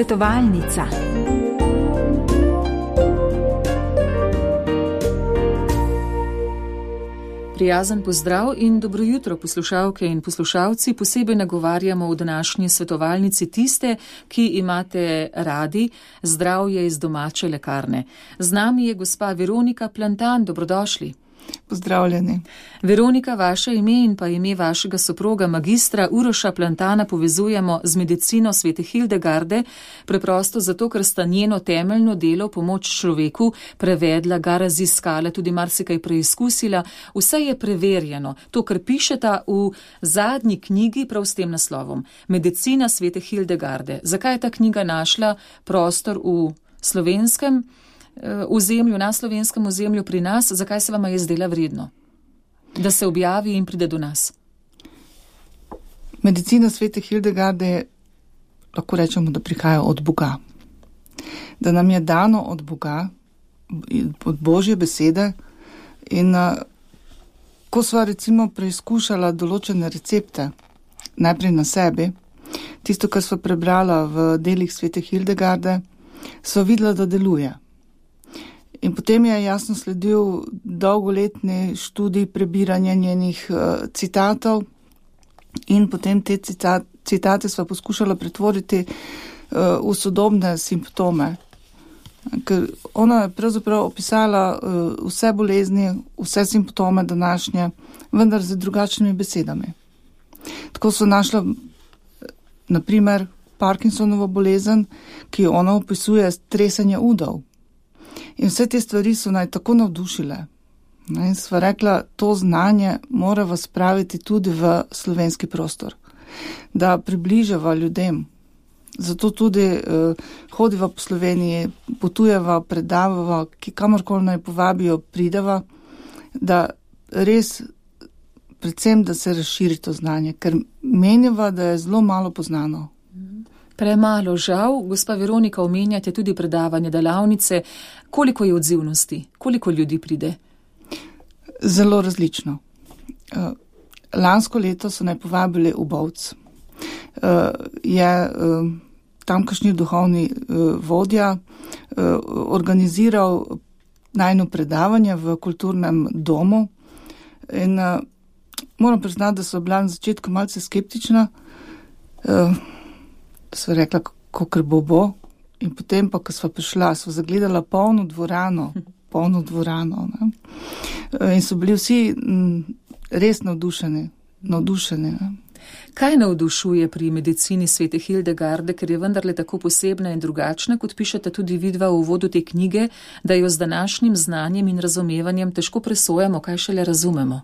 Svetovalnica. Prijazen pozdrav in dobro jutro, poslušalke in poslušalci. Posebej nagovarjamo v današnji svetovalnici tiste, ki imate radi zdravje iz domače lekarne. Z nami je gospa Veronika Plantan, dobrodošli. Pozdravljeni. Veronika, vaše ime in pa ime vašega soproga magistra Uroša Plantana povezujemo z medicino svete Hildegarde, preprosto zato, ker sta njeno temeljno delo pomoč človeku prevedla, ga raziskala, tudi marsikaj preizkusila. Vse je preverjeno. To, kar pišeta v zadnji knjigi prav s tem naslovom. Medicina svete Hildegarde. Zakaj je ta knjiga našla prostor v slovenskem ozemlju, na slovenskem ozemlju pri nas, zakaj se vama je zdela vredno, da se objavi in pride do nas? Medicina svete Hildegarde, lahko rečemo, da prihaja od Boga. Da nam je dano od Boga, od Božje besede in ko sva recimo preizkušala določene recepte, najprej na sebi, tisto, kar sva prebrala v delih svete Hildegarde, sva videla, da deluje. In potem je jasno sledil dolgoletni študij prebiranja njenih citatov in potem te citate sva poskušala pretvoriti v sodobne simptome. Ker ona je pravzaprav opisala vse bolezni, vse simptome današnje, vendar z drugačnimi besedami. Tako so našla, naprimer, Parkinsonovo bolezen, ki jo ona opisuje tresenje udov. In vse te stvari so naj tako navdušile. In sva rekla, to znanje mora vas spraviti tudi v slovenski prostor, da približava ljudem. Zato tudi hodiva po Sloveniji, potujeva, predavava, kamorkoli naj povabijo, prideva, da res, predvsem, da se razširi to znanje, ker meniva, da je zelo malo poznano. Premalo, žal. Gospa Veronika, omenjate tudi predavanje, delavnice. Koliko je odzivnosti? Koliko ljudi pride? Zelo različno. Lansko leto so naj povabili v Bovc. Je tamkajšnji duhovni vodja organiziral najino predavanje v kulturnem domu in moram priznati, da so bila na začetku malce skeptična. Sva rekla, kakor bo. In potem pa, ko sva prišla, sva zagledala polno dvorano. Ne? In so bili vsi res navdušeni. Ne? Kaj navdušuje pri medicini svete Hildegarde, ker je vendarle tako posebna in drugačna, kot pišete tudi vidva v uvodu te knjige, da jo z današnjim znanjem in razumevanjem težko presojamo, kaj šele razumemo?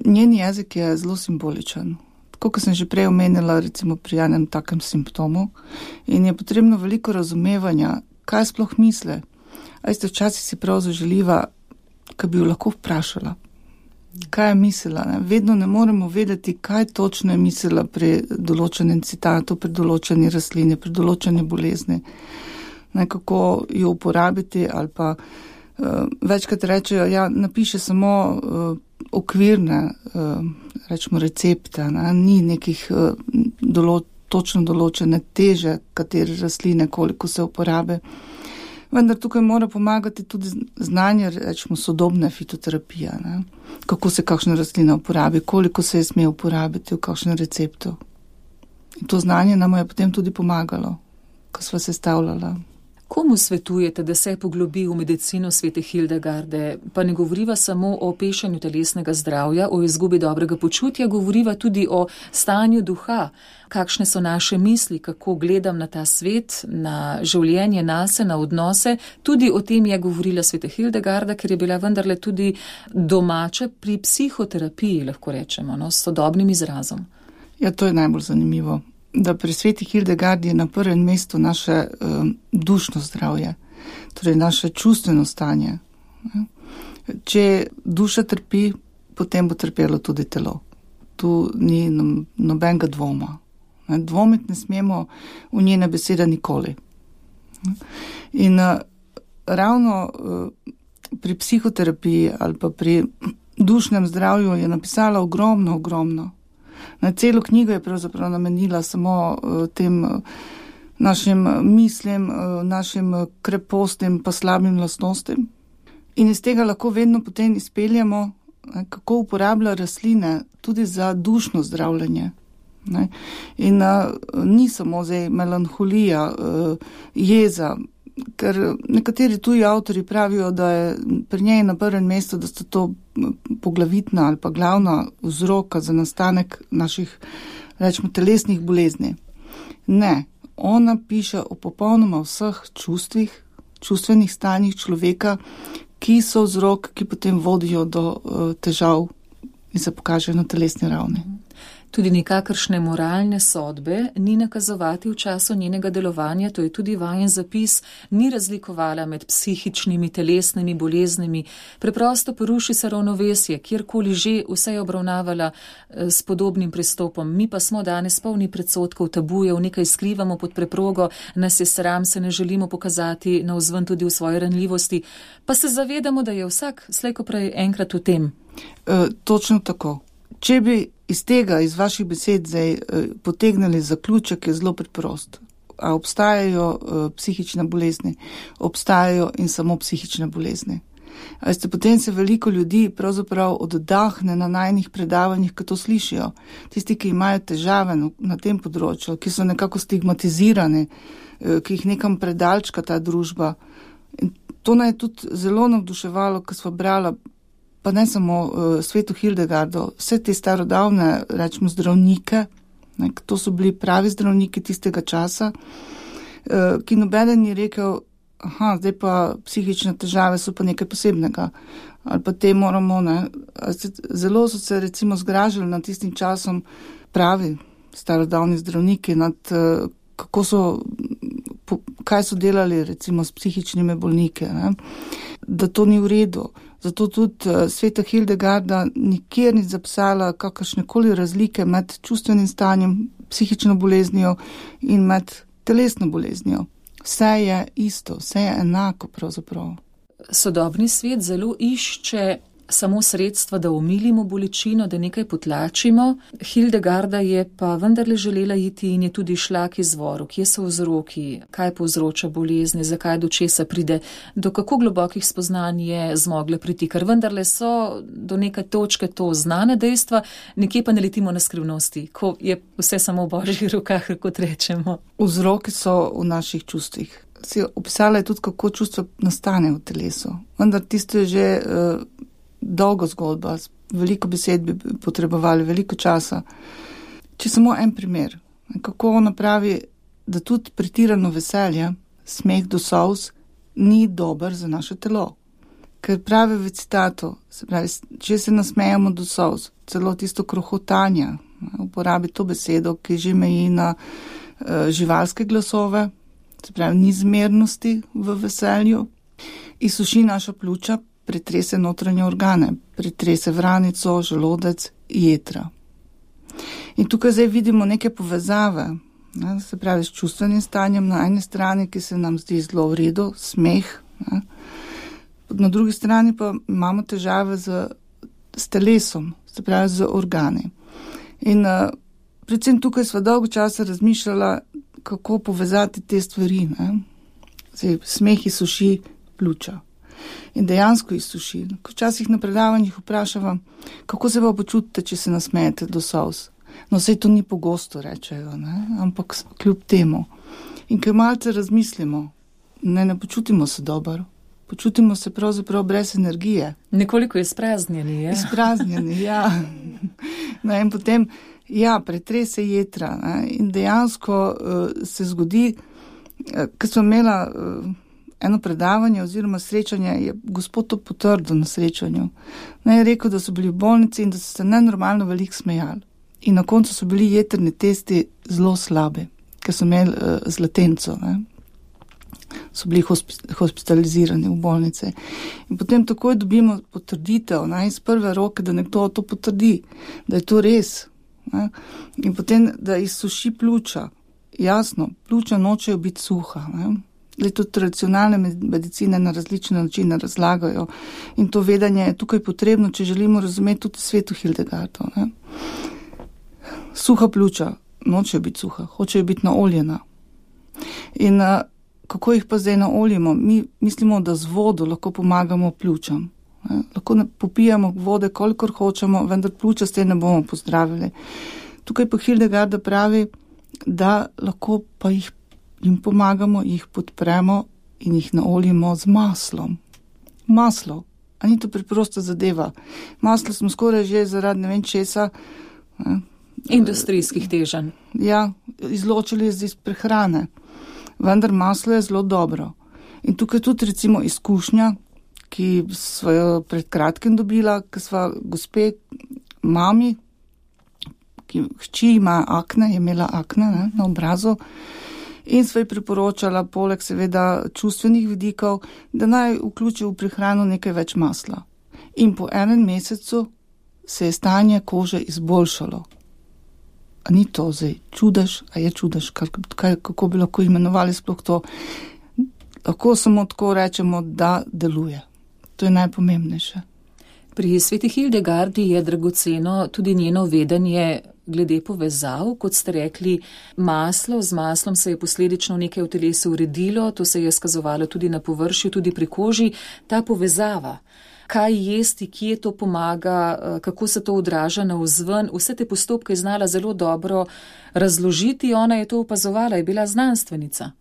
Njen jezik je zelo simboličen. Kot sem že prej omenila, recimo pri enem takem simptomu, in je potrebno veliko razumevanja, kaj sploh misle. A veste, včasih si prav zaželiva, kaj bi jo lahko vprašala. Kaj je mislila? Ne? Vedno ne moremo vedeti, kaj točno je mislila pri določenem citatu, pri določeni rastlini, pri določeni bolezni. Kako jo uporabiti ali pa večkrat rečejo, ja, napiše samo okvirne, rečemo recepte, ne? Ni nekih točno določene teže, katere rastline, koliko se uporabe. Vendar tukaj mora pomagati tudi znanje, rečemo, sodobne fitoterapije, ne? Kako se kakšna rastlina uporabi, koliko se je sme uporabiti v kakšnem receptu. In to znanje nam je potem tudi pomagalo, ko sva sestavljala. Komu svetujete, da se poglobi v medicino svete Hildegarde? Pa ne govoriva samo o pešanju telesnega zdravja, o izgubi dobrega počutja, govoriva tudi o stanju duha. Kakšne so naše misli, kako gledam na ta svet, na življenje, nase, na odnose. Tudi o tem je govorila sveta Hildegarda, ker je bila vendarle tudi domača pri psihoterapiji, lahko rečemo, no, s sodobnim izrazom. Ja, to je najbolj zanimivo. Da pri sveti Hildegardi je na prvem mestu naše dušno zdravje, torej naše čustveno stanje. Če duša trpi, potem bo trpelo tudi telo. Tu ni nobenega dvoma. Dvomiti ne smemo v njene besede nikoli. In ravno pri psihoterapiji ali pa pri dušnem zdravju je napisala ogromno. Celo knjigo je pravzaprav namenila samo tem našim mislim, našim krepostnim pa slabim lastnostim. In iz tega lahko vedno potem izpeljamo, kako uporablja rastline tudi za dušno zdravljenje. In ni samo zdaj melanholija, jeza, ker nekateri tuji avtori pravijo, da je pri njej na prvem mestu, da sta to poglavitna ali pa glavna vzroka za nastanek naših, rečemo, telesnih bolezni. Ne, ona piše o popolnoma vseh čustvih, čustvenih stanjih človeka, ki so vzrok, ki potem vodijo do težav in se pokažejo na telesni ravni. Tudi nikakršne moralne sodbe ni nakazovati v času njenega delovanja, to je tudi vajen zapis, ni razlikovala med psihičnimi, telesnimi boleznimi, preprosto poruši se ravnovesje, kjerkoli že, vse je obravnavala s podobnim pristopom. Mi pa smo danes polni predsodkov, tabujev, nekaj skrivamo pod preprogo, nas je sram, se ne želimo pokazati navzven tudi v svoji ranljivosti, pa se zavedamo, da je vsak slejko prej enkrat v tem. Točno tako. Če bi iz vaših besed zdaj potegnili zaključek, je zelo preprost. A obstajajo psihične bolezni? Obstajajo in samo psihične bolezni. Potem se veliko ljudi pravzaprav oddahne na najnih predavanjih, ko to slišijo. Tisti, ki imajo težave na tem področju, ki so nekako stigmatizirani, ki jih nekam predalčka ta družba. In to naj je tudi zelo navduševalo, ko sva brala, pa ne samo sveto Hildegardo, vse te starodavne, rečemo, zdravnike, to so bili pravi zdravniki tistega časa, ki nobeden ni rekel, zdaj pa psihične težave so pa nekaj posebnega, ali pa te moramo, Zelo so se recimo zgražali nad tistim časom pravi starodavni zdravniki, nad kaj so delali recimo s psihičnimi bolniki, da to ni v redu. Zato tudi sveta Hildegarda nikjer ni zapisala kakršnekoli razlike med čustvenim stanjem, psihično boleznijo in med telesno boleznijo. Vse je isto, vse je enako pravzaprav. Sodobni svet zelo išče samo sredstva, da omilimo bolečino, da nekaj potlačimo. Hildegarda je pa vendarle želela iti in je tudi šla k izvoru. Kje so vzroki, kaj povzroča bolezni, zakaj do česa pride, do kako globokih spoznanj je zmogla priti, ker vendarle so do neke točke to znane dejstva, nekje pa ne letimo na skrivnosti, ko je vse samo v Božjih rokah, kot rečemo. Vzroki so v naših čustvih. Si opisala je tudi, kako čustvo nastane v telesu. Vendar tisto je že dolgo zgodba, veliko besed bi potrebovali, veliko časa. Če samo en primer, kako ona pravi, da tudi pretirano veselje, smeh do solz, ni dober za naše telo. Ker pravi v citatu, se pravi, če se nasmejamo do solz, celo tisto krohotanje, uporabi to besedo, ki že meji na živalske glasove, se pravi, ni zmernosti v veselju, izsuši naša pljuča, pretrese notranje organe, pretrese vranico, želodec, jetra. In tukaj zdaj vidimo neke povezave, se pravi s čustvenim stanjem na eni strani, ki se nam zdi zelo v redu, smeh, na drugi strani pa imamo težave s telesom, se pravi z organi. In predvsem tukaj sva dolgo časa razmišljala, kako povezati te stvari. Zdaj, smeh izsuši pljuča. In dejansko izsuši. Včasih na predavanjih vprašavam, kako se pa počutite, če se nasmejete do solz. No, saj to ni pogosto, rečejo, ampak kljub temu. In ker malce razmislimo, ne počutimo se dobro, počutimo se pravzaprav brez energije. Nekoliko izpraznjeni, ja. Izpraznjeni, ja. No, in potem, pretrese jetra. In dejansko se zgodi, ker smo imela eno predavanje oziroma srečanje, je gospod to potrdil na srečanju. Je rekel, da so bili v bolnici in da so se nenormalno veliko smejali. In na koncu so bili jetrni testi zelo slabi, ker so imeli zlatenco. So bili hospitalizirani v bolnice. In potem takoj dobimo potrditev iz prve roke, da nekdo to potrdi, da je to res. In potem, da izsuši pljuča. Jasno, pljuča nočejo biti suha. Tudi tradicionalne medicine na različne načine razlagajo in to vedenje je tukaj potrebno, če želimo razumeti tudi sveto Hildegardo. suha pljuča, nočejo biti suha, hočejo biti naoljena. In kako jih pa zdaj naoljimo? Mi mislimo, da z vodo lahko pomagamo pljučam. Lahko popijamo vode, kolikor hočemo, vendar pljuča s tem ne bomo pozdravili. Tukaj pa Hildegarda pravi, da lahko pa jim pomagamo, jih podpremo in jih naoljimo z maslom. Maslo, a ni to preprosta zadeva. Maslo smo skoraj že zaradi ne vem česa. Industrijskih teženj. Ja, izločili iz prehrane. Vendar maslo je zelo dobro. In tukaj tudi recimo izkušnja, ki sva jo pred kratkim dobila, ki sva gospe mami, ki hči ima akne, je imela akne na obrazu, in sva ji priporočala poleg seveda čustvenih vidikov, da naj vključi v prehrano nekaj več masla. In po 1 mesecu se je stanje kože izboljšalo. A ni to zdaj čudež, a je čudež, kako bi lahko imenovali sploh to? Lahko samo tako rečemo, da deluje. To je najpomembnejše. Pri sveti Hildegardi je dragoceno tudi njeno vedenje glede povezav, kot ste rekli, z maslom se je posledično nekaj v telesu uredilo, to se je skazovalo tudi na površju, tudi pri koži, ta povezava. Kaj jesti, kje to pomaga, kako se to odraža navzven, vse te postopke je znala zelo dobro razložiti, ona je to opazovala, je bila znanstvenica.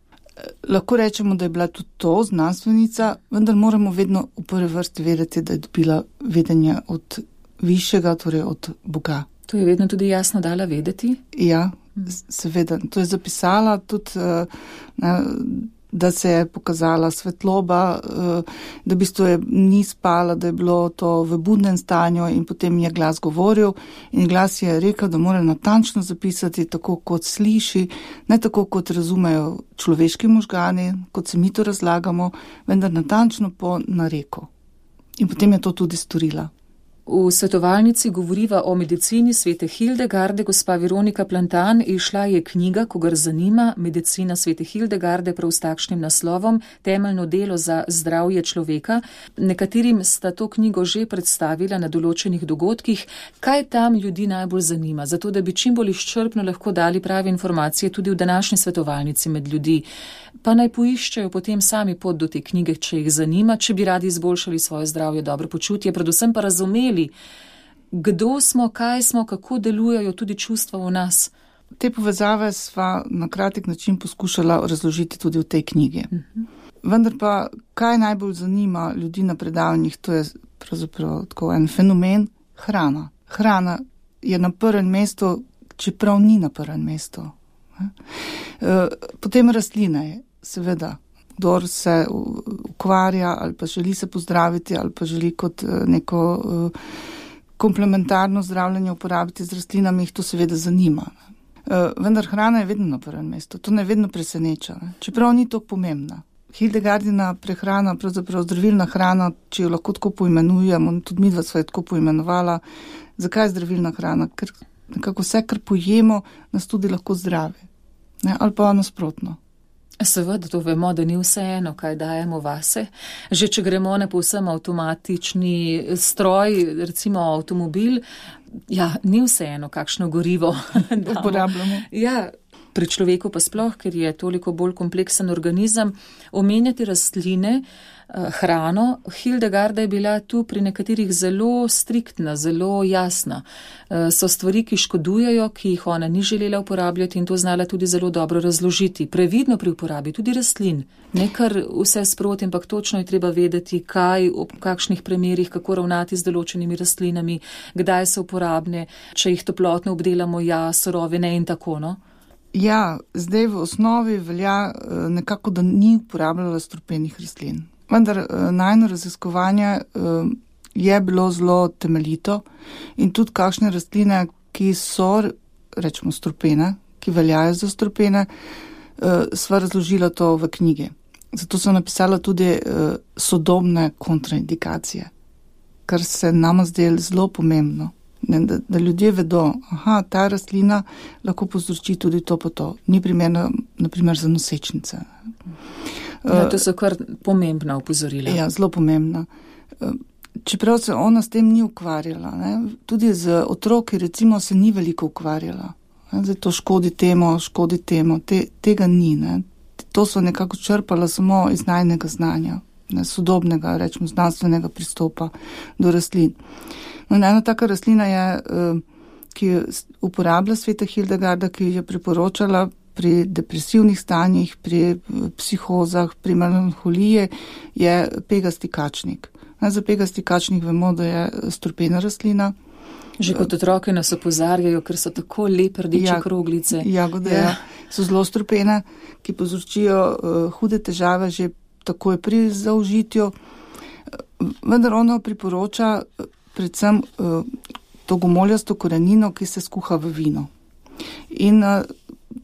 Lahko rečemo, da je bila tudi to znanstvenica, vendar moramo vedno v prvi vrsti vedeti, da je dobila vedenje od višjega, torej od Boga. To je vedno tudi jasno dala vedeti? Ja, seveda. To je zapisala tudi, da se je pokazala svetloba, da v bistvu je ni spala, da je bilo to v budnem stanju in potem je glas govoril in glas je rekel, da mora natančno zapisati tako, kot sliši, ne tako, kot razumejo človeški možgani, kot se mi to razlagamo, vendar natančno po nareku. In potem je to tudi storila. V svetovalnici govoriva o medicini svete Hildegarde, gospa Veronika Plantan, izšla je knjiga, kogar zanima, Medicina svete Hildegarde, prav s takšnim naslovom, temeljno delo za zdravje človeka. Nekaterim sta to knjigo že predstavila na določenih dogodkih. Kaj tam ljudi najbolj zanima? Zato, da bi čim bolj izčrpno lahko dali prave informacije tudi v današnji svetovalnici med ljudi. Pa naj poiščejo potem sami pot do te knjige, če jih zanima, če bi radi izboljšali svoje zdravje, dobro počutje, predvsem pa razumeli, kdo smo, kaj smo, kako delujejo tudi čustva v nas. Te povezave sva na kratek način poskušala razložiti tudi v tej knjigi. Vendar pa, kaj najbolj zanima ljudi na predavanjih, to je pravzaprav tako en fenomen, hrana. Hrana je na prvem mestu, čeprav ni na prvem mestu. Potem rastline, seveda. Kdor se ukvarja ali pa želi se pozdraviti ali pa želi kot neko komplementarno zdravljenje uporabiti z rastlinami, jih to seveda zanima. Vendar hrana je vedno na prvem mestu, to ne vedno preseneča, čeprav ni to pomembna. Hildegardina prehrana, pravzaprav zdravilna hrana, če jo lahko tako poimenujemo, tudi midva sva jo tako poimenovala. Zakaj je zdravilna hrana? Ker nekako vse, kar pojemo, nas tudi lahko zdravi. Ali pa nasprotno. Seveda, to vemo, da ni vseeno, kaj dajemo vase. Že če gremo na povsem avtomatični stroj, recimo avtomobil, ni vseeno, kakšno gorivo uporabljamo. Pri človeku pa sploh, ker je toliko bolj kompleksen organizem, omenjati rastline, hrano. Hildegarda je bila tu pri nekaterih zelo striktna, zelo jasna. So stvari, ki škodujejo, ki jih ona ni želela uporabljati in to znala tudi zelo dobro razložiti. Previdno pri uporabi tudi rastlin. Ne kar vse sproti, ampak točno je treba vedeti, kaj, ob kakšnih primerih, kako ravnati z določenimi rastlinami, kdaj so uporabne, če jih toplotno obdelamo, surove ne in tako, no? Zdaj v osnovi velja nekako, da ni uporabljala strupenih rastlin. Vendar najno raziskovanje je bilo zelo temeljito in tudi kakšne rastline, ki so, rečemo, strupene, ki veljajo za strupene, sva razložila to v knjigi. Zato sem napisala tudi sodobne kontraindikacije, kar se nama zdelo zelo pomembno. Da ljudje vedo, ta rastlina lahko povzroči tudi to pa to. Ni primerna, naprimer, za nosečnice. To so kar pomembna opozorila. Zelo pomembna. Čeprav se ona s tem ni ukvarjala, tudi z otroki, recimo, se ni veliko ukvarjala. Zdaj to škodi temu, tega ni. Ne. To so nekako črpala samo iz najnega znanja, ne, sodobnega, rečemo, znanstvenega pristopa do rastlin. No, ena taka rastlina je, ki jo uporablja sveta Hildegarda, ki je priporočala pri depresivnih stanjih, pri psihozah, pri melanholiji, je pegasti kačnik. Za pegasti kačnik vemo, da je strupena rastlina. Že kot otroke nas opozarjajo, ker so tako lepe rdeče kroglice. Jagode so zelo strupene, ki povzročijo hude težave že takoj pri zaužitju. Vendar ono priporoča predvsem to gomoljasto korenino, ki se skuha v vino. In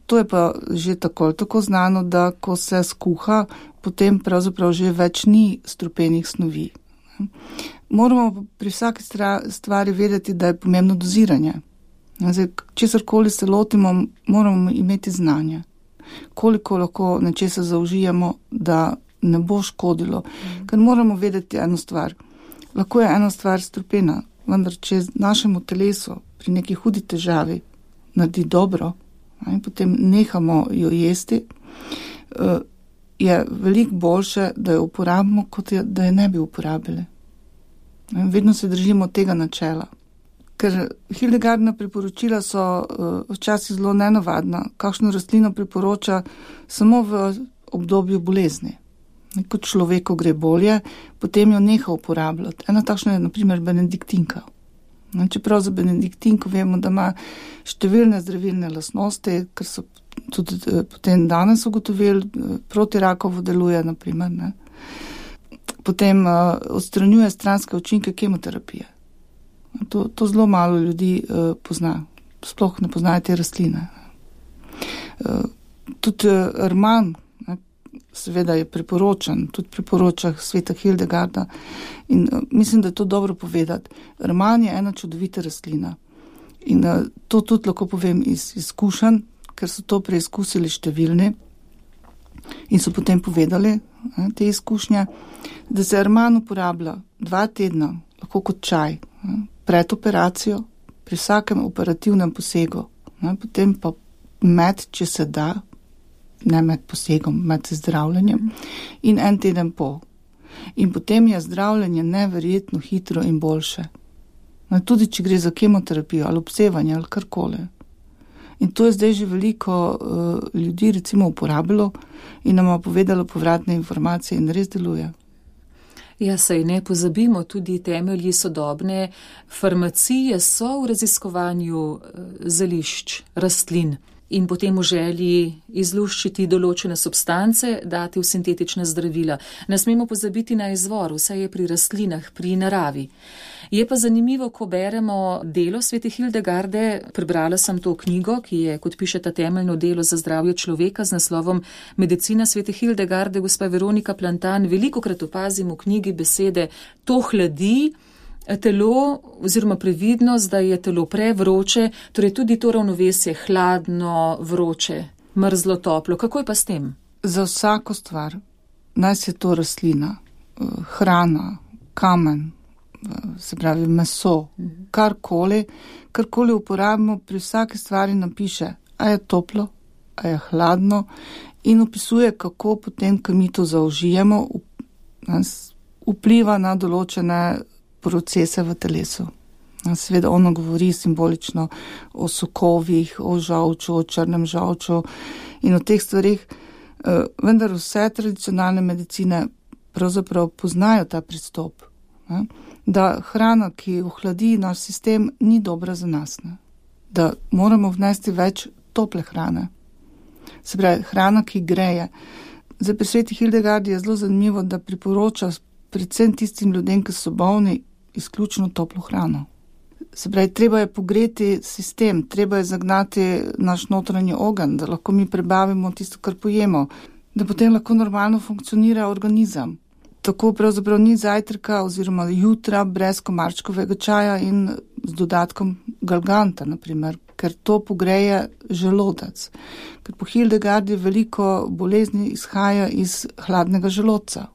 to je pa že tako znano, da ko se skuha, potem pravzaprav že več ni strupenih snovi. Moramo pri vsaki stvari vedeti, da je pomembno doziranje. Zdaj, česarkoli se lotimo, moramo imeti znanje. Koliko lahko nečesa zaužijemo, da ne bo škodilo. Ker moramo vedeti eno stvar. Lahko je ena stvar strupena, vendar če našemu telesu pri neki hudi težavi naredi dobro, in potem nehamo jo jesti, je veliko boljše, da jo uporabimo, kot da je ne bi uporabili. Vedno se držimo tega načela. Ker Hildegardina priporočila so včasih zelo nenavadna. Kakšno rastlino priporoča samo v obdobju bolezni. Ko človeku gre bolje, potem jo neha uporabljati. Ena takšna je na primer benediktinka. Čeprav za benediktinko vemo, da ima številne zdravilne lastnosti, ker so tudi potem danes ugotovili, proti rakovu deluje, na primer, ne. Potem odstranjuje stranske učinke kemoterapije. To zelo malo ljudi pozna. Sploh ne poznajo te rastline. Tudi rman, seveda je priporočen, tudi priporoča sveta Hildegarda. In mislim, da je to dobro povedati. Rman je ena čudovita rastlina. In to tudi lahko povem iz izkušenj, ker so to preizkusili številni in so potem povedali te izkušnje, da se rman uporablja 2 tedna, lahko kot čaj, pred operacijo, pri vsakem operativnem posegu, potem pa med, če se da, ne med posegom, med zdravljenjem, in 1 teden po. In potem je zdravljenje neverjetno hitro in boljše. Tudi če gre za kemoterapijo ali obsevanje ali karkoli. In to je zdaj že veliko ljudi recimo uporabilo in nam povedalo povratne informacije in res deluje. Ja, saj ne pozabimo, tudi temelji sodobne farmacije so v raziskovanju zelišč, rastlin. In potem v želji izluščiti določene substance, dati v sintetična zdravila. Ne smemo pozabiti na izvor, vse je pri rastlinah, pri naravi. Je pa zanimivo, ko beremo delo svete Hildegarde, prebrala sem to knjigo, ki je, kot piše, ta temeljno delo za zdravje človeka z naslovom Medicina svete Hildegarde, gospa Veronika Plantan, velikokrat opazim v knjigi besede to hladi, telo oziroma previdnost, da je telo prevroče, torej tudi to ravnovesje hladno, vroče, mrzlo, toplo. Kako je pa s tem? Za vsako stvar, naj se to rastlina, hrana, kamen, se pravi meso, karkoli uporabimo, pri vsaki stvari napiše, a je toplo, a je hladno in opisuje, kako potem, ko mi to zaužijemo, vpliva na določene procese v telesu. Seveda ono govori simbolično o sokovih, o žolču, o črnem žolču in o teh stvarih, vendar vse tradicionalne medicine pravzaprav poznajo ta pristop, da hrana, ki ohladi naš sistem, ni dobra za nas, da moramo vnesti več tople hrane. Se pravi, hrana, ki greje. Zdaj pri sveti Hildegardi je zelo zanimivo, da priporoča predvsem tistim ljudem, ki so bolni, izključno toplo hrano. Se pravi, treba je pogreti sistem, treba je zagnati naš notranji ogenj, da lahko mi prebavimo tisto, kar pojemo, da potem lahko normalno funkcionira organizem. Tako pravzaprav ni zajtrka oziroma jutra brez komarčkovega čaja in z dodatkom galganta, naprimer, ker to pogreje želodec. Ker po Hildegardi veliko bolezni izhaja iz hladnega želodca.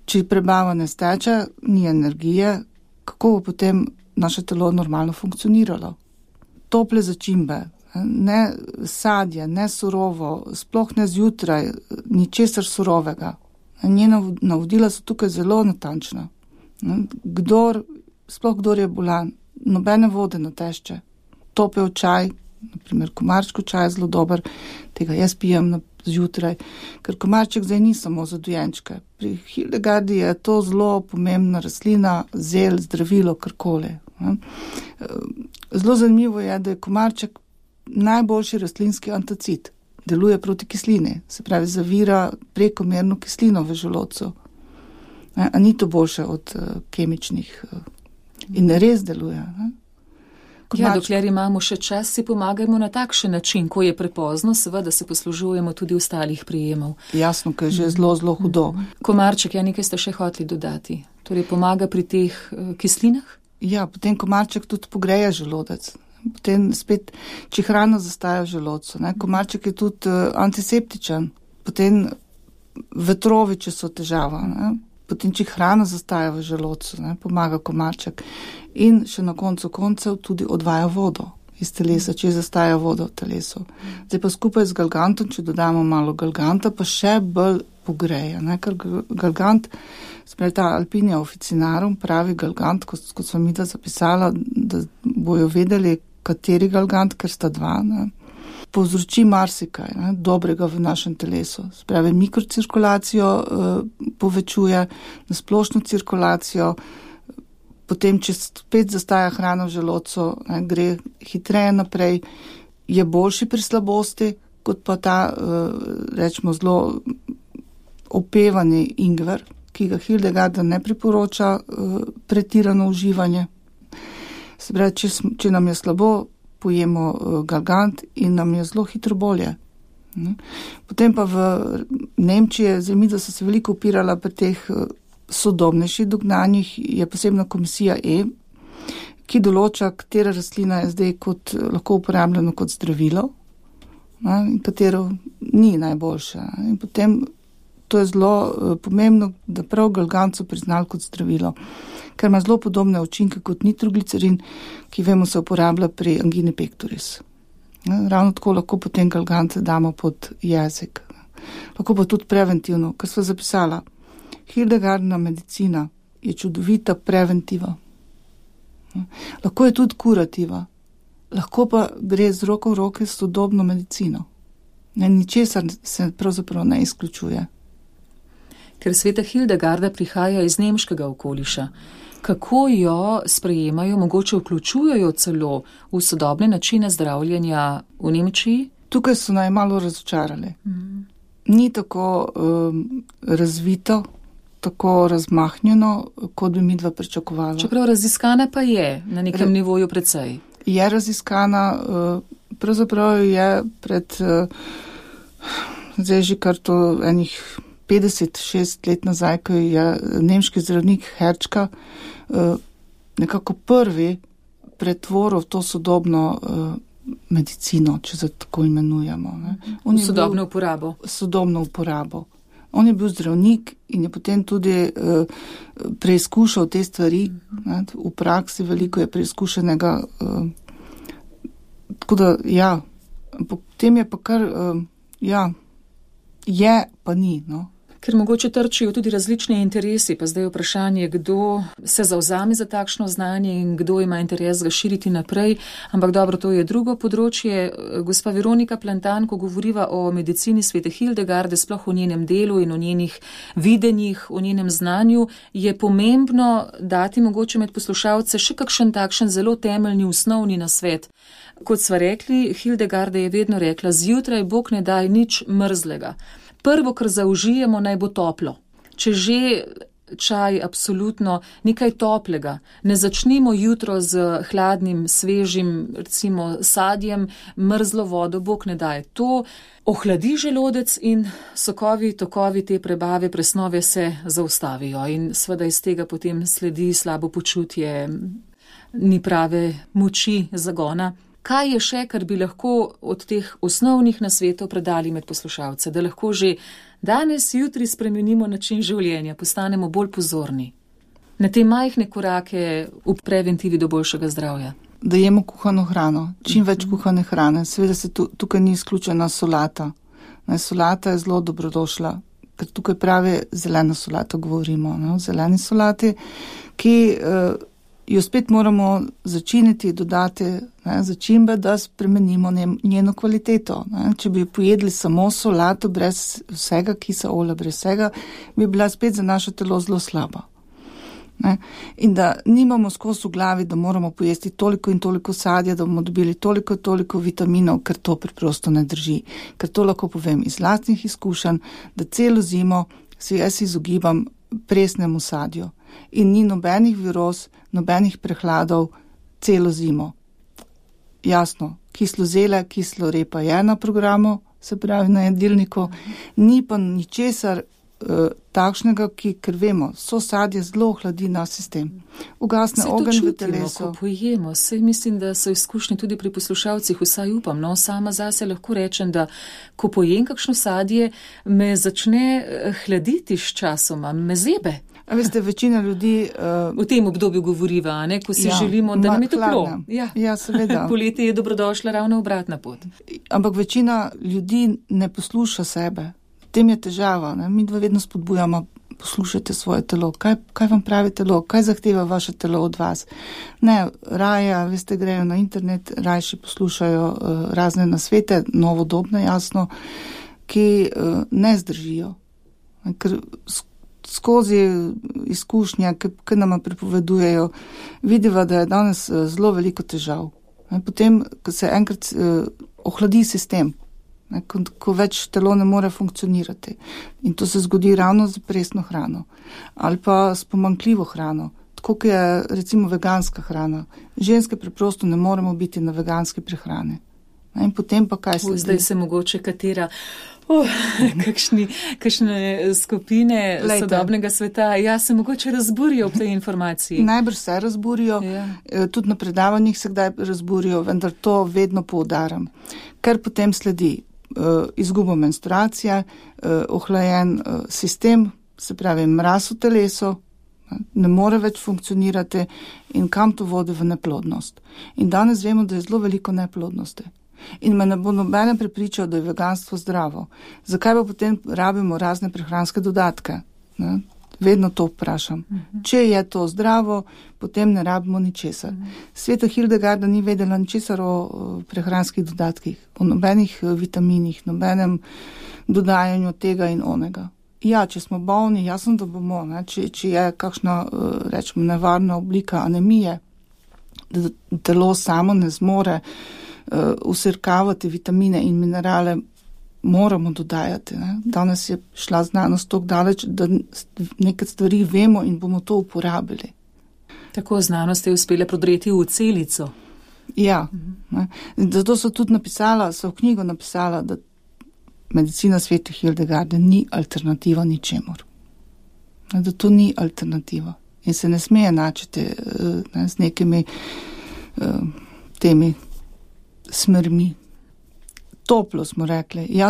Če prebava ne steče, ni energije, kako bo potem naše telo normalno funkcioniralo. Tople začimbe, ne sadje, ne surovo, sploh ne zjutraj, ničesar surovega. Njena navodila so tukaj zelo natančna. Kdor je bolan, nobene vode na tešče, topel čaj, naprimer komarčko čaj je zelo dober, tega jaz pijem zjutraj, ker komarček zdaj ni samo za dojenčke. Pri Hildegardi je to zelo pomembna rastlina, zel, zdravilo, karkoli. Zelo zanimivo je, da je komarček najboljši rastlinski antacid. Deluje proti kislini, se pravi zavira prekomerno kislino v želodcu. A ni to boljše od kemičnih in res deluje. Dokler imamo še čas, si pomagajmo na takšen način, ko je prepozno, seveda se poslužujemo tudi ostalih prijemov. Jasno, ker je že zelo hudo. Komarček, nekaj ste še hoteli dodati. Torej pomaga pri teh kislinah? Ja, potem komarček tudi pogreje želodec. Potem spet, če hrana zastaja v želodcu. Komarček je tudi antiseptičen. Potem vetrovi, če so težava. Potem, če hrana zastaja v želodcu, pomaga komarček. In še na koncu koncev tudi odvaja vodo iz telesa, če zastaja voda v telesu. Zdaj pa skupaj z galgantom, če dodamo malo galganta, pa še bolj pogreje. Ker galgant, spravi ta Alpinia officinarum, pravi galgant, kot sem midva zapisala, da bojo vedeli, kateri galgant, ker sta dva, povzroči marsikaj dobrega v našem telesu. Spravi mikrocirkulacijo povečuje, nasplošno cirkulacijo, potem, če spet zastaja hrana v želodcu, gre hitreje naprej, je boljši pri slabosti, kot pa ta, rečemo, zelo opevani ingver, ki ga Hildegarda ne priporoča pretirano uživanje. Se pravi, če nam je slabo, pojemo galgant in nam je zelo hitro bolje. Potem pa v Nemčiji, zemljica so se veliko upirala pri teh sodobnejših dognanjih, je posebna komisija ki določa, katera rastlina je zdaj lahko uporabljena kot zdravilo, in katero ni najboljša. In potem to je zelo pomembno, da prav galgant so priznali kot zdravilo, ker ima zelo podobne učinke kot nitroglicerin, ki vemo se uporablja pri angini pectoris. Ravno tako lahko potem galgant damo pod jezik. Lahko pa tudi preventivno, kar sva zapisala. Hildegardina medicina je čudovita preventiva. Lahko je tudi kurativa. Lahko pa gre z roko v roke s sodobno medicino. Ničesar se pravzaprav ne izključuje. Ker sveta Hildegarda prihaja iz nemškega okoliša, kako jo sprejemajo, mogoče vključujejo celo v sodobne načine zdravljenja v Nemčiji? Tukaj so naj malo razočarali. Ni tako razvito, tako razmahnjeno, kot bi midva pričakovala. Čeprav raziskana pa je na nekem nivoju precej. Je raziskana, pravzaprav je pred zdaj že kar to enih 56 let nazaj, ko je nemški zdravnik Herčka nekako prvi pretvoril to sodobno medicino, če se tako imenujemo. Sodobno uporabo. Sodobno uporabo. On je bil zdravnik in je potem tudi preizkušal te stvari. V praksi veliko je preizkušenega. Tako da, ja, potem je pa kar, je pa ni, Ker mogoče trčijo tudi različni interesi, pa zdaj je vprašanje, kdo se zavzame za takšno znanje in kdo ima interes ga širiti naprej, ampak dobro, to je drugo področje. Gospa Veronika Plantan, ko govoriva o medicini svete Hildegarde, sploh o njenem delu in o njenih videnjih, o njenem znanju, je pomembno dati mogoče med poslušalce še kakšen takšen zelo temeljni, osnovni nasvet. Kot sva rekli, Hildegarda je vedno rekla, zjutraj Bog ne daj nič mrzlega. Prvo, kar zaužijemo, naj bo toplo. Če že čaj, absolutno nekaj toplega. Ne začnimo jutro z hladnim, svežim, recimo sadjem, mrzlo vodo, Bog ne daje. To ohladi želodec in sokovi, tokovi te prebave, presnove se zaustavijo in seveda iz tega potem sledi slabo počutje, ni prave moči zagona. Kaj je še, kar bi lahko od teh osnovnih nasvetov predali med poslušalce, da lahko že danes, jutri spremenimo način življenja, postanemo bolj pozorni na te majhne korake v preventivi do boljšega zdravja? da jemo kuhano hrano, čim več kuhane hrane. Seveda se tukaj ni izključena solata. Solata je zelo dobrodošla, ker tukaj pravi zelena solata govorimo, o zeleni solati, ki jo spet moramo začiniti, dodati začimbe, da spremenimo njeno kvaliteto. Če bi pojedli samo solato brez vsega kisa olja, brez vsega, bi bila spet za naše telo zelo slaba. In da nimamo skozi v glavi, da moramo pojesti toliko in toliko sadja, da bomo dobili toliko vitaminov, ker to preprosto ne drži. Ker to lahko povem iz lastnih izkušenj, da celo zimo se jaz izogibam presnemu sadju. In ni nobenih viroz, nobenih prehladov celo zimo. Jasno, kislozele, kislorepa je na programu, se pravi na jedilniku, ni pa ničesar takšnega, ker vemo, so sadje zelo ohladi naš sistem. Ugasne ogenj v telesu. Ko pojemo, saj mislim, da so izkušnje tudi pri poslušalcih, vsaj upam, sama zase lahko rečem, da ko pojem kakšno sadje, me začne hladiti s časoma, me zebe. A veste, večina ljudi v tem obdobju govoriva, ko si želimo, da nam je toplo. Ja, seveda. Poleti je dobrodošla ravno obratna pot. Ampak večina ljudi ne posluša sebe. Tem je težava. Mi dva vedno spodbujamo, poslušajte svoje telo. Kaj vam pravi telo? Kaj zahteva vaše telo od vas? Ne, raje, veste, grejo na internet, rajši poslušajo razne nasvete, novodobne, jasno, ki ne zdržijo. Ker skozi izkušnje, ki nama pripovedujejo, vidiva, da je danes zelo veliko težav. Potem, ko se enkrat ohladi sistem, ko več telo ne more funkcionirati. In to se zgodi ravno z presno hrano ali pa s pomanjkljivo hrano, tako kot je recimo veganska hrana. Ženske preprosto ne moremo biti na veganski prehrani. In potem pa kaj sledi? Zdaj se mogoče katera kakšne skupine sodobnega sveta, se mogoče razburijo ob tej informaciji. Najbrž se razburijo, tudi na predavanjih se kdaj razburijo, vendar to vedno poudaram. Ker potem sledi izgubo menstruacije, ohlajen sistem, se pravi mraz v telesu, ne more več funkcionirati in kam to vodi v neplodnost. In danes vemo, da je zelo veliko neplodnosti. In me ne bo nobene prepričal, da je veganstvo zdravo. Zakaj pa potem rabimo razne prehranske dodatke? Vedno to vprašam. Če je to zdravo, potem ne rabimo ničesar. Sveta Hildegarda ni vedela ničesar o prehranskih dodatkih, o nobenih vitaminih, nobenem dodajanju tega in onega. Ja, če smo bolni, jasno, da bomo, če je kakšna, rečemo, nevarna oblika anemije, da telo samo ne zmore usrkavati vitamine in minerale, moramo dodajati. Danes je šla znanost toliko daleč, da nekaj stvari vemo in bomo to uporabili. Tako znanost je uspela prodreti v celico. Ja, zato so tudi v knjigo napisala, da medicina Svete Hildegarde ni alternativa ničemur. Da to ni alternativa. In se ne sme enačiti z nekimi temi smermi. Toplo smo rekli,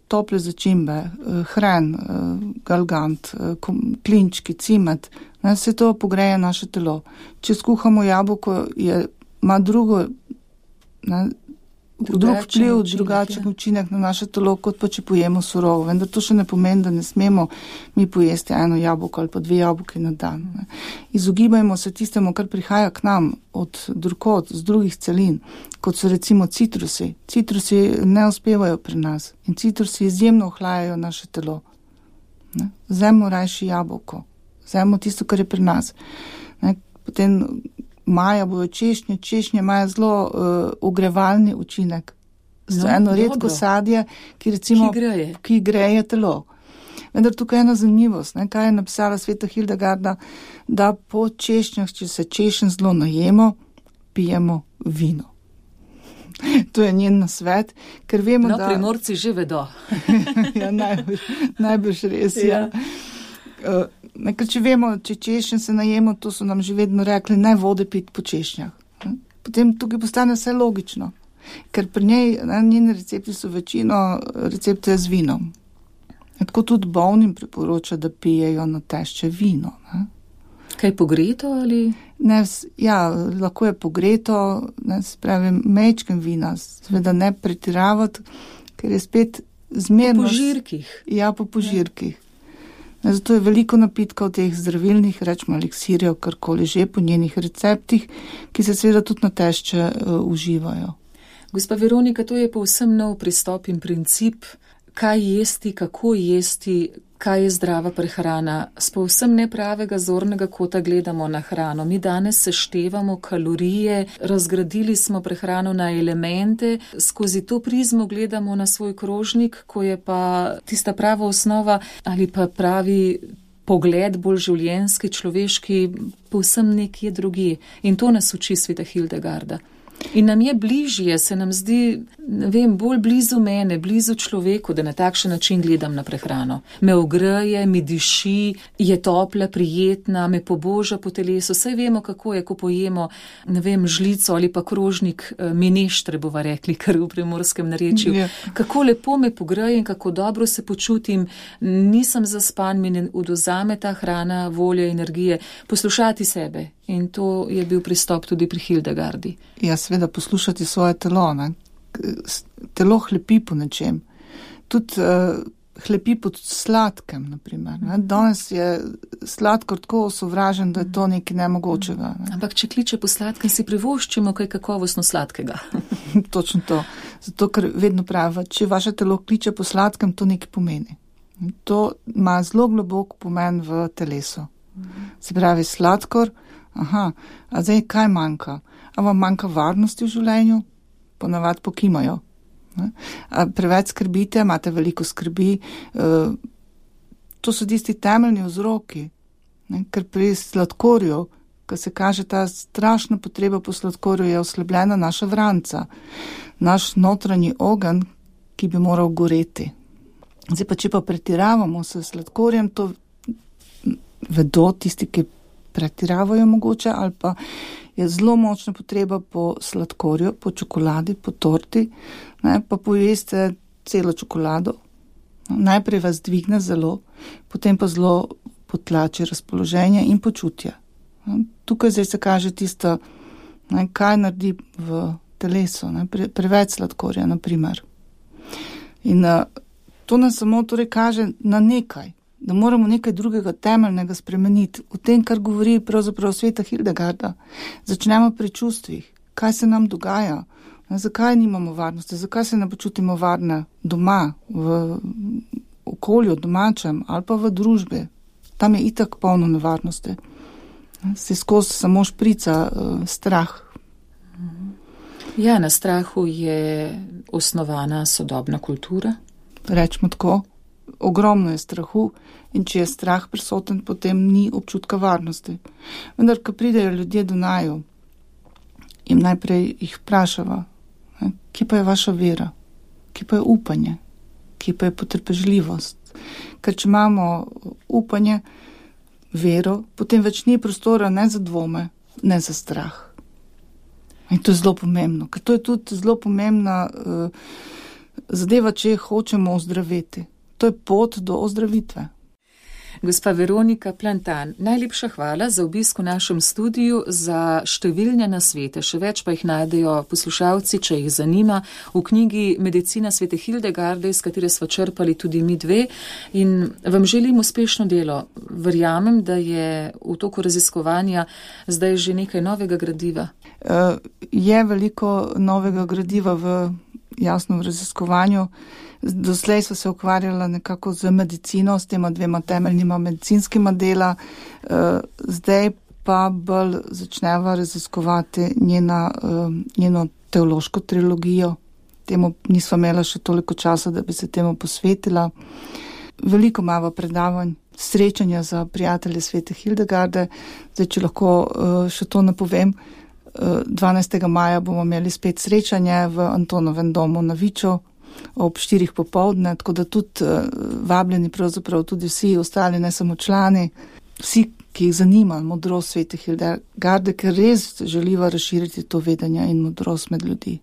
tople začimbe, hren, galgant, klinčki, cimet, vse to pogreje naše telo. Če skuhamo jabolko, ima drug vpliv, drugačen učinek na naše telo, kot pa če pojemo surovo. Vendar to še ne pomeni, da ne smemo mi pojesti eno jabolko ali pa 2 jabolki na dan. Izogibajmo se tistemu, kar prihaja k nam od drugod, z drugih celin, kot so recimo citrusi. Citrusi ne uspevajo pri nas in citrusi izjemno ohlajajo naše telo. Vzemimo rajši jabolko, vzemimo tisto, kar je pri nas. Potem maja bojo češnje imajo zelo ogrevalni učinek. Eno redko sadje, ki greje telo. Vendar tukaj je ena zanimivost, kaj je napisala Sveta Hildegarda, da po češnjah, če se češenj zelo najemo, pijemo vino. To je njen nasvet, ker vemo, da... Primorci že vedo. Ja, najbrž res, ja. Ker če vemo, če češnje se najemo, to so nam že vedno rekli, ne vode piti po češnjah. Potem tukaj postane vse logično, ker pri njej, njeni recepti so večino recepte z vinom. Tako tudi bolnim priporoča, da pijejo na tešče vino. Kaj pogreto ali? Lahko je pogreto, spravim mečkem vina, seveda ne pretiravati, ker je spet zmerno. Po požirkih. Ja, po požirkih. Zato je veliko napitkov teh zdravilnih, rečemo eliksirjev, karkoli že po njenih receptih, ki se seveda tudi na tešče uživajo. Gospa Veronika, to je povsem nov pristop in princip, kaj jesti, kako jesti, kaj je zdrava prehrana. S povsem nepravega zornega kota gledamo na hrano. Mi danes seštevamo kalorije, razgradili smo prehrano na elemente, skozi to prizmo gledamo na svoj krožnik, ko je pa tista prava osnova ali pa pravi pogled, bolj življenjski, človeški, povsem nekje drugje. In to nas uči sveta Hildegarda. In nam je bližje, se nam zdi, bolj blizu mene, blizu človeku, da na takšen način gledam na prehrano. Me ogreje, mi diši, je topla, prijetna, me poboža po telesu. Saj vemo, kako je, ko pojemo, žlico ali pa krožnik mineštre, bova rekli, kar v primorskem narečju. Ja. Kako lepo me pogreje in kako dobro se počutim, nisem zaspan, mi ne odvzame ta hrana, volje, energije, poslušati sebe. In to je bil pristop tudi pri Hildegardi. Ja, seveda poslušati svoje telo. Telo hlepi po nečem. Tudi hlepi pod sladkem, naprimer. Danes je sladkor tako osovražen, da je to nekaj nemogočega. Ampak če kliče po sladkem, si privoščimo kaj kakovostno sladkega. Točno to. Zato, ker vedno pravi, če vaše telo kliče po sladkem, to nekaj pomeni. To ima zelo globok pomen v telesu. Se pravi, sladkor. A zdaj kaj manjka? A vam manjka varnosti v življenju? Ponavadi pokimajo. A preveč skrbite, imate veliko skrbi. To so tisti temeljni vzroki, ker pri sladkorju, ko se kaže ta strašna potreba po sladkorju, je oslabljena naša vranca, naš notranji ogenj, ki bi moral goreti. Zdaj pa, če pa pretiravamo s sladkorjem, to vedo tisti, ki pretiravajo mogoče, ali pa je zelo močna potreba po sladkorju, po čokoladi, po torti, pa pojeste celo čokolado. Najprej vas dvigne zelo, potem pa zelo potlači razpoloženje in počutje. Tukaj zdaj se kaže tisto, kaj naredi v telesu, preveč sladkorja, naprimer. In to nas samo torej kaže na nekaj, da moramo nekaj drugega temeljnega spremeniti. V tem, kar govori pravzaprav sveta Hildegarda, začnemo pri čustvih, kaj se nam dogaja, zakaj nimamo varnosti, zakaj se ne počutimo varne doma, v okolju, domačem ali pa v družbi. Tam je itak polno nevarnosti. Se skozi samo šprica strah. Ja, na strahu je osnovana sodobna kultura. Rečemo tako. Ogromno je strahu in če je strah prisoten, potem ni občutka varnosti. Vendar, ko pridejo ljudje do naju, jim najprej jih vprašava, kje pa je vaša vera, kje pa je upanje, kje pa je potrpežljivost. Ker če imamo upanje, vero, potem več ni prostora ne za dvome, ne za strah. In to je zelo pomembno, ker to je tudi zelo pomembna zadeva, če hočemo ozdraviti. To je pot do ozdravitve. Gospa Veronika Plantan, najlepša hvala za obisk v našem studiu, za številne nasvete, še več pa jih najdejo poslušalci, če jih zanima, v knjigi Medicina svete Hildegarde, iz katere sva črpali tudi mi dve, in vam želim uspešno delo. Verjamem, da je v toku raziskovanja zdaj že nekaj novega gradiva. Je veliko novega gradiva v raziskovanju. Doslej so se ukvarjala nekako z medicino, s tema dvema temeljnima medicinskima dela, zdaj pa bolj začneva raziskovati njeno teološko trilogijo. Temu nisva imela še toliko časa, da bi se temu posvetila. Veliko imava predavanj, srečanja za prijatelje svete Hildegarde. Zdaj, če lahko še to napovem, 12. maja bomo imeli spet srečanje v Antonovem domu na Viču ob 4 popoldne, tako da tudi vabljeni pravzaprav tudi vsi ostali, ne samo člani, vsi, ki jih zanima modrost svete Hildegarde, ker res želiva razširiti to vedenje in modrost med ljudi.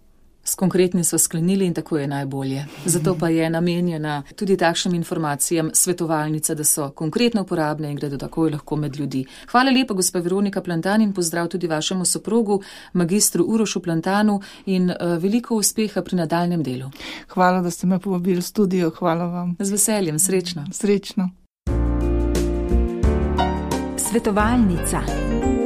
S konkretnim sva sklenili in tako je najbolje. Zato pa je namenjena tudi takšnim informacijam svetovalnica, da so konkretno uporabne in gredo takoj lahko med ljudi. Hvala lepa, gospa Veronika Plantan, in pozdrav tudi vašemu soprogu, magistru Urošu Plantanu, in veliko uspeha pri nadaljnjem delu. Hvala, da ste me povabili v studio. Hvala vam. Z veseljem, srečno. Srečno. Svetovalnica.